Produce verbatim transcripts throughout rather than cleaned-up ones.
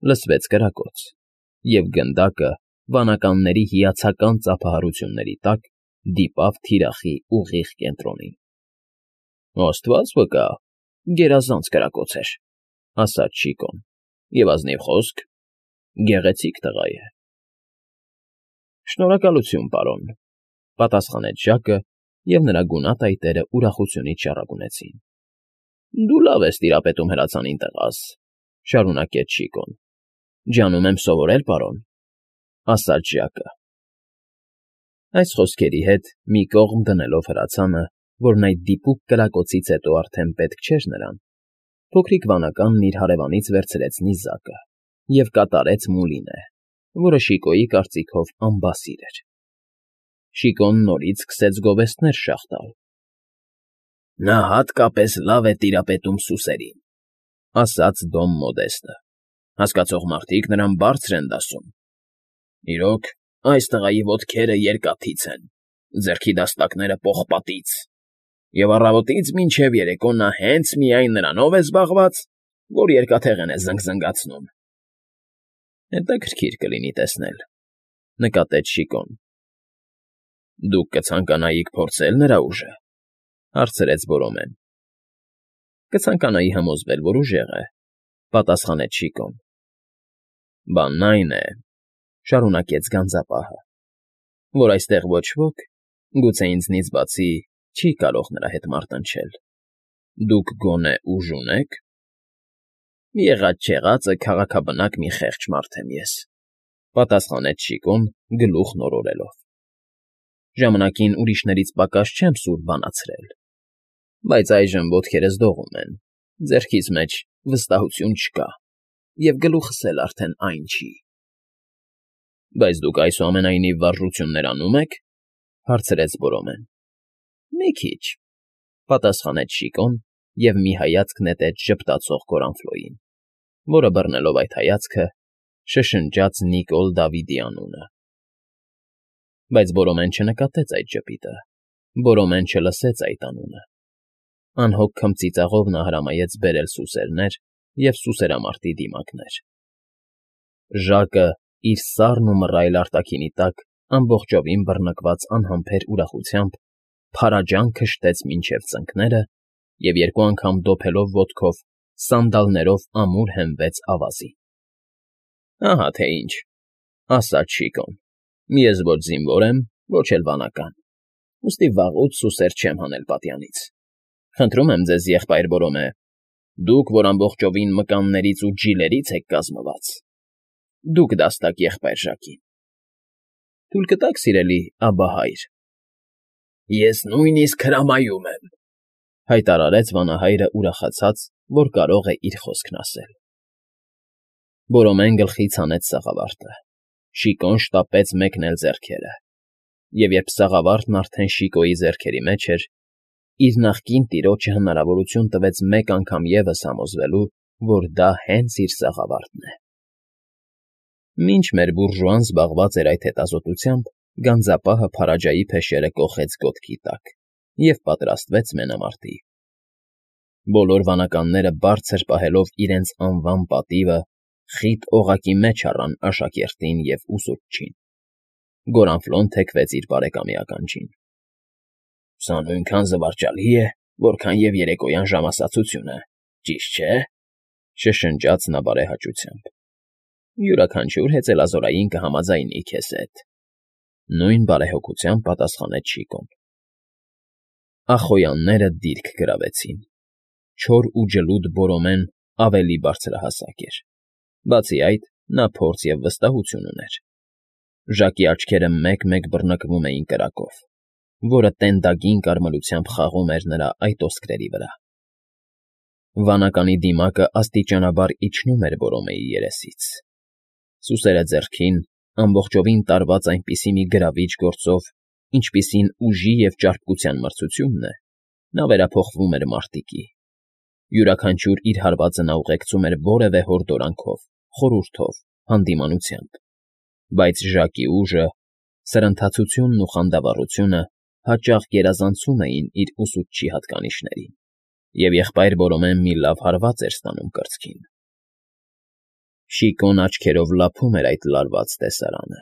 Լսվեց կրակոց, և գնդակը, վանականների հիացական ծափահարությունների տակ, դիպավ թիրախի ուղիղ կենտրոնին։ ֊ Աստված վկա, գերազանց կրակոց էր,֊ ասաց Շիկոն,֊ և ազնիվ խոսք, գեղեցիկ տղա է։ ֊ Շնորհակալություն, պարոն,֊ պատասխանեց Ժակը, և նրա գունատ այտերը ուրախությունից շառագունեցին։ ֊ Դու լավ ես տիրապետում հրացանին, տղաս,֊ շարունակեց Շիկոն։ ֊ Ջանում եմ սովորել, պարոն,֊ ասաց Ժակը։ Այս խոսքերի հետ մի կողմ դնելով հրացանը, որն այդ դիպուկ կրակոցից հետո արդեն պետք չէր նրան, փոքրիկ վանականն իր հարևանից վերցրեց նիզակը և կատարեց Մուլինե, որը Շիկոյի կարծիքով անբասիր էր։ Շիկոն նորից սկսեց գովեստներ շաղ տալ։ ֊ Նա հատկապես լավ է տիրապետում սուսերին,֊ ասաց Դոն Մոդեստը,֊ հասկացող մարդիկ նրան բարձր են դասում։ Իրոք, այս տղայի ոտքերը երկաթից են, ձեռքի դաստակները՝ պողպատից, և առավոտից մինչև երեկո նա հենց միայն նրանով է զբաղված, որ երկաթեղեն է զնգզնգացնում։ ֊ Հետաքրքիր կլինի տեսնել,֊ նկատեց Շիկոն։ ֊ Դուք կցանկանայիք փորձել նրա ուժը,֊ հարցրեց Բորոմեն։ ֊ Կցանկանայի համոզվել, որ ուժեղ է,֊ պատասխանեց Շիկոն։ ֊ Բանն այն է,֊ շարունակեց գանձապահը,֊ որ այստեղ ոչ ոք, գուցե ինձնից բացի, չի կարող նրա հետ մարտնչել։ Դուք գոնե ուժ ունե՞ք։ ֊ Եղած֊չեղածը քաղաքաբնակ մի խեղճ մարդ եմ ես,֊ պատասխանեց Շիկոն, գլուխն օրորելով։ Ժամանակին ուրիշներից պակաս չեմ սուր բանացրել, բայց այժմ ոտքերս դողում են, ձեռքիս մեջ վստահություն չկա, և գլուխս էլ արդեն այն չի։ ֊ Բայց դուք այսուամենայնիվ վարժություններ անում եք,֊ հարցրեց Բորոմեն։ ֊ Մի քիչ,֊ պատասխանեց Շիկոն և մի հայացք նետեց ժպտացող Կորանֆլոյին, որը, բռնելով այդ հայացքը, շշնջաց Նիկոլ Դավիդի անունը։ Բայց Բորոմեն չնկատեց այդ ժպիտը, Բորոմեն չլսեց այդ անունը։ Անհոգ քմծիծաղով նա հրամայեց բերել սուսերներ և սուսերամարտի դիմակներ։ Ժակը, իր սառն ու մռայլ արտաքինի տակ ամբողջովին բռնկված անհամբեր ուրախությամբ, փարաջան քշտեց մինչև ծնկները և երկու անգամ դոփելով ոտքով, սանդալներով ամուր հենվեց ավազին։ ֊ Ահա թե ինչ,֊ ասաց Շիկոն,֊ ես ոչ զինվոր եմ, ոչ էլ վանական, ուստի վաղուց սուսեր չեմ հանել պատյանից։ Խնդրում եմ ձեզ, եղբայր Բորոմե, դուք, որ ամբողջովին մկաններից ու ջիլերից եք կազմված, դուք դաստակ եղբայր Ժակին։ Թույլ կտա՞ք, սիրելի աբահայր։ ֊ Ես նույնիսկ հրամայում եմ,֊ հայտարարեց վանահայրը ուրախացած, որ կարող է իր խոսքն ասել։ Բորոմեն գլխից հանեց սաղավարտը, Շիկոն շտապեց մեկնել ձեռքերը, և երբ սաղավարտն արդեն Շիկոյի ձեռքերի մեջ էր, իր նախկին տիրոջը հնարավորություն տվեց մեկ անգամ ևս համոզվելու, որ դա հենց իր սաղավարտն է։ Մինչ մեր բուրժուան զբաղված էր այդ հետազոտությամբ, գանձապահը փարաջայի փեշերը կոխեց գոտքի տակ և պատրաստվեց մենամարտի։ Բոլոր վանականները բարձր պահելով իրենց անվան պատիվը, խիտ օղակի մեջ առան աշակերտին և ուսուցչին։ Գորանֆլոն թեքվեց իր բարեկամի ականջին։ ֊ Սա նույնքան զվարճալի է, որքան և երեկոյան ժամասացությունը, ճիշտ չէ,֊ շշնջաց նա բարեհաճությամբ։ ֊ Յուրաքանչյուր հեծելազորային կհամաձայնի քեզ հետ,֊ նույն բարեհոգությամբ պատասխանեց Շիկոն։ Ախոյանները դիրք գրավեցին։ Չոր ու ջլուդ Բորոմեն ավելի բարձրահասակ էր, բացի այդ, նա փորձ և վստահություն ուներ։ Ժակի աչքերը մեկ֊մեկ բռնկվում էին կրակով, որը տենդագին կարմրությամբ խաղում էր նրա այտոսկրերի վրա։ Վանականի դիմակը աստիճանաբար իջնում էր Բորոմեի երեսից։ Սուսերը ձեռքին, ամբողջովին տարված այնպիսի մի գրավիչ գործով, ինչպիսին ուժի և ճարպկության մրցությունն է, նա վերափոխվում էր մարտիկի։ Յուրաքանչյուր իր հարվածը նա ուղեկցում էր որևէ հորդորանքով, խորհուրդով, հանդիմանությամբ, բայց Ժակի ուժը, սրընթացությունն ու խանդավառությունը հաճախ գերազանցում էին իր ուսուցչի հատկանիշներին, և եղբայր Բորոմեն մի լավ հարված էր ստանում կրծքին։ Շիկոն աչքերով լափում էր այդ լարված տեսարանը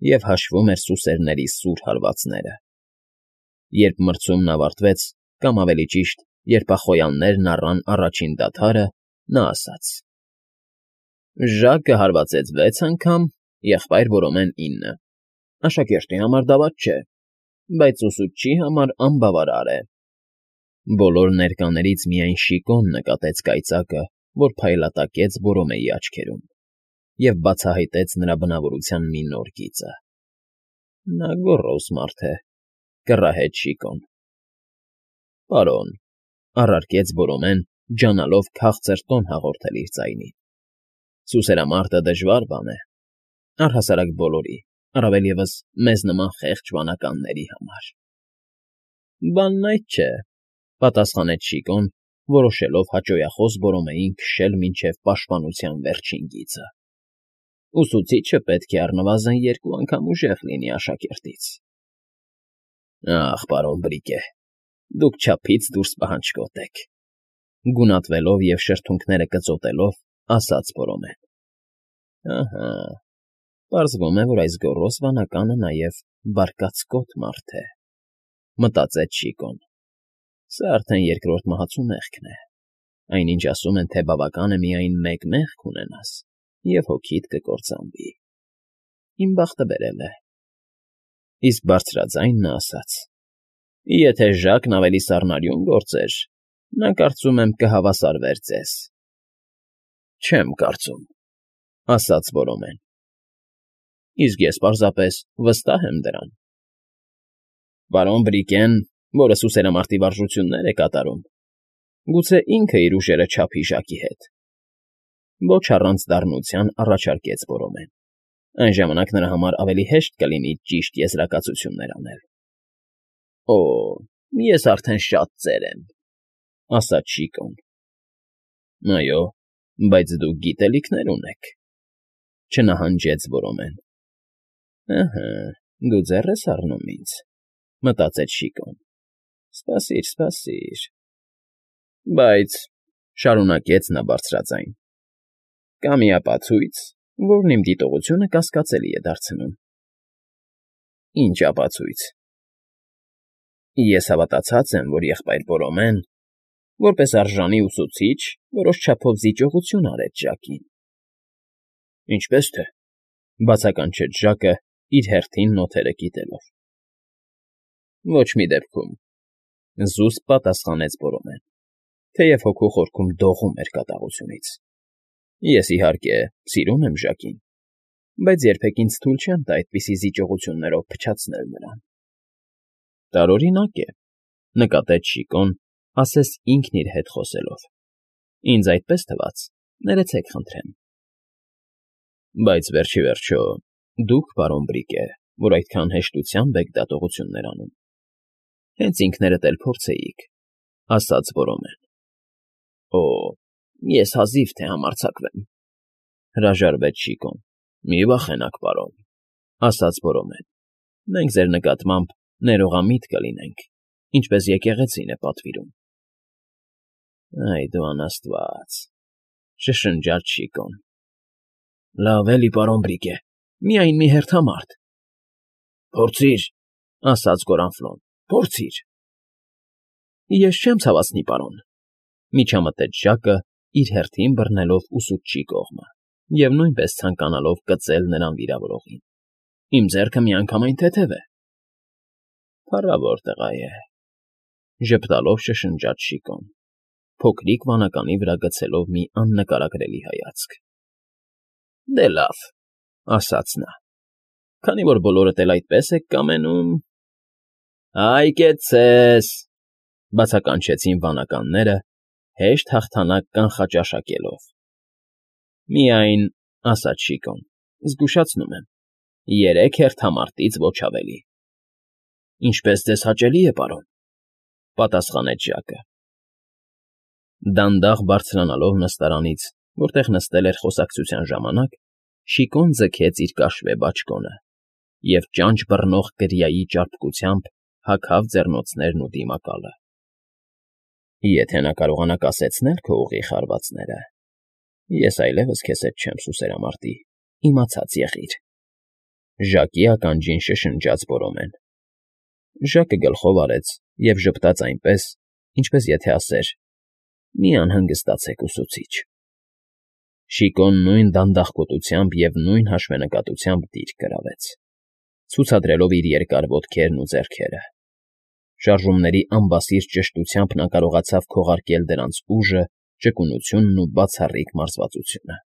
և հաշվում էր սուսերների սուր հարվածները։ Երբ մրցումն ավարտվեց, կամ ավելի ճիշտ, երբ ախոյաններն առան առաջին դադարը, նա ասաց. «Ժակը հարվածեց վեց անգամ, եղբայր Որոմեն՝ ինը. աշակերտի համար դավաց չէ, բայց ուսուցչի համար անբավարար է»։ Բոլոր ներկաներից միայն Շիկոն նկատեց կայծակը, որ փայլատակեց Որոմեի աչքերում, և բացահայտեց նրա բնավորության մի նոր գիծը։ «Նա գոռոզ մարդ է,֊ կռահեց Շիկոն։ «Պարոն,֊ առարկեց Որոմեն, ջանալով քաղցր տոն հաղորդել իր ձայնին,֊ սուսերամարտը դժվար բան է, առհասարակ բոլորի, առավել ևս մեզ նման խեղճ վանականների համար»։ «Բանն այդ չէ,֊ պատասխանեց Շիկոն, որոշելով հաճոյախոս Որոմեին քշել մինչև պաշտպանության վերջին գիծը։ «Ուսուցիչը պետք է առնվազն երկու անգամ ուժեղ լինի աշակերտից»։ «Ախ, պարոն Բրիկե, դուք չափից դուրս պահանջկոտ եք,֊ գունատվելով և շրթունքները կծոտելով, ասաց Որոմեն։ «Ահա, պարզվում է, որ այս գոռոզ վանականը նաև բարկացկոտ մարդ է,֊ մտածեց Շիկոն։ Սա արդեն երկրորդ մահացու մեղքն է, այնինչ ասում են, թե բավական է միայն մեկ մեղք ունենաս, և հոգիդ կկործանվի։ Իմ բախտը բերել է»։ Իսկ բարձրաձայն նա ասաց. «Եթե Ժակն ավելի սառնարյուն գործեր, նա, կարծում եմ, կհավասարվեր ձեզ»։ «Չեմ կարծում,֊ ասաց Որոմեն։ «Իսկ ես պարզապես վստահ եմ դրան»։ «Պարոն Բրիկեն, որը սուսերամարտի վարժություններ է կատարում, գուցե ինքը իր ուժերը չափի Ժակի հետ»։ Ոչ առանց դառնության առաջարկեց Որոմեն։ «Այն ժամանակ նրա համար ավելի հեշտ կլինի ճիշտ եզրակացություններ անել»։ «Օ, ես արդեն շատ ծեր եմ,֊ ասաց Շիկոն։ «Այո, բայց դուք գիտելիքներ ունեք,֊ չնահանջեց Որոմեն։ «Ըհը, դու ձեռ ես առնում ինձ,֊ մտածեց Շիկոն։ Սպասիր, սպասիր… Բայց,֊ շարունակեց նա բարձրաձայն, կա մի ապացույց, որն իմ դիտողությունը կասկածելի է դարձնում»։ «Ի՞նչ ապացույց»։ «Ես հավատացած եմ, որ եղբայր Որոմեն, որպես արժանի ուսուցիչ, որոշ չափով զիջողություն արեց Ժակին»։ «Ինչպես թե…֊ բացականչեց Ժակը, իր հերթին նոթերը կիտելով։ «Ոչ մի դեպքում,֊ զուսպ պատասխանեց Որոմեն, թեև հոգու խորքում դողում էր կատաղությունից։ «Ես, իհարկե, սիրում եմ Ժակին, բայց երբեք ինձ թույլ չեմ տա այդպիսի զիջողություններով փչացնել նրան»։ «Տարօրինակ է,֊ նկատեց Շիկոն, ասես ինքն իր հետ խոսելով։ Ինձ այդպես թվաց, ներեցեք խնդրեմ»։ «Բայց վերջ ի վերջո դուք, պարոն Բրիկե, որ այդքան հեշտությամբ եք դատողություններ անում, հենց ինքներդ էլ փորձեիք,֊ ասաց Որոմեն։ «Օ, ես հազիվ թե համարձակվեմ,֊ հրաժարվեց Շիկոն։ «Մի վախենաք, պարոն,֊ ասաց Որոմեն։ Մենք ձեր նկատմամբ ներողամիտ կլինենք, ինչպես եկեղեցին է պատվիրում»։ «Այ դու անաստված…֊ շշնջաց Շիկոն։ «Լավ էլի, պարոն Բրիկե, միայն մի հերթամարդ»։ «Փորձիր,֊ ասաց Գորանֆլոն,֊ փորձիր»։ «Ես չեմ ցավացնի, պարոն,֊ միջամտեց Ժակը, իր հերթին բռնելով ուսուցչի կողմը և նույնպես ցանկանալով կծել նրան վիրավորողին։ Իմ ձեռքը միանգամայն թեթև է»։ «Փառավոր տղա է,֊ ժպտալով շշնջաց Շիկոն, փոքրիկ վանականի վրա գցելով մի աննկարագրելի հայացք։ «Դե լավ,֊ ասաց նա,֊ քանի որ բոլորդ էլ այդպես եք կամենում…»։ «Այ կեցցես,֊ բացականչեցին վանականները, հեշտ հաղթանակ կանխաճաշակելով։ «Միայն,֊ ասաց Շիկոն,֊ զգուշացնում եմ, երեք հերթամարտից ոչ ավելի»։ «Ինչպես ձեզ հաճելի է, պարոն,֊ պատասխանեց Ժակը։ Դանդաղ բարձրանալով նստարանից, որտեղ նստել էր խոսակցության ժամանակ, Շիկոն ձգեց իր կաշվե բաճկոնը և ճանճ բռնող կրիայի ճարպկությամբ հագավ ձեռնոցներն ու դիմակալը։ «Եթե նա կարողանա կասեցնել քո ուղիղ հարվածները, Ես այլևս քեզ հետ չեմ, սուսերամարտի, իմացած եղիր,֊ Ժակի ականջին շշնջաց Բորոմեն։ Ժակը գլխով արեց և ժպտաց այնպես, ինչպես եթե ասեր. «Մի անհանգստացեք, ուսուցիչ»։ Շիկոն նույն դանդաղկոտությամբ և նույն հաշվենկատությամբ դիրք գրավեց, ցուցադրելով իր երկար ոտքերն ու ձեռքերը։ Շարժումների անբասիր ճշտությամբ նա կարողացավ քողարկել դրանց ուժը, ճկունությունն ու բացառիկ մարզվածությունը։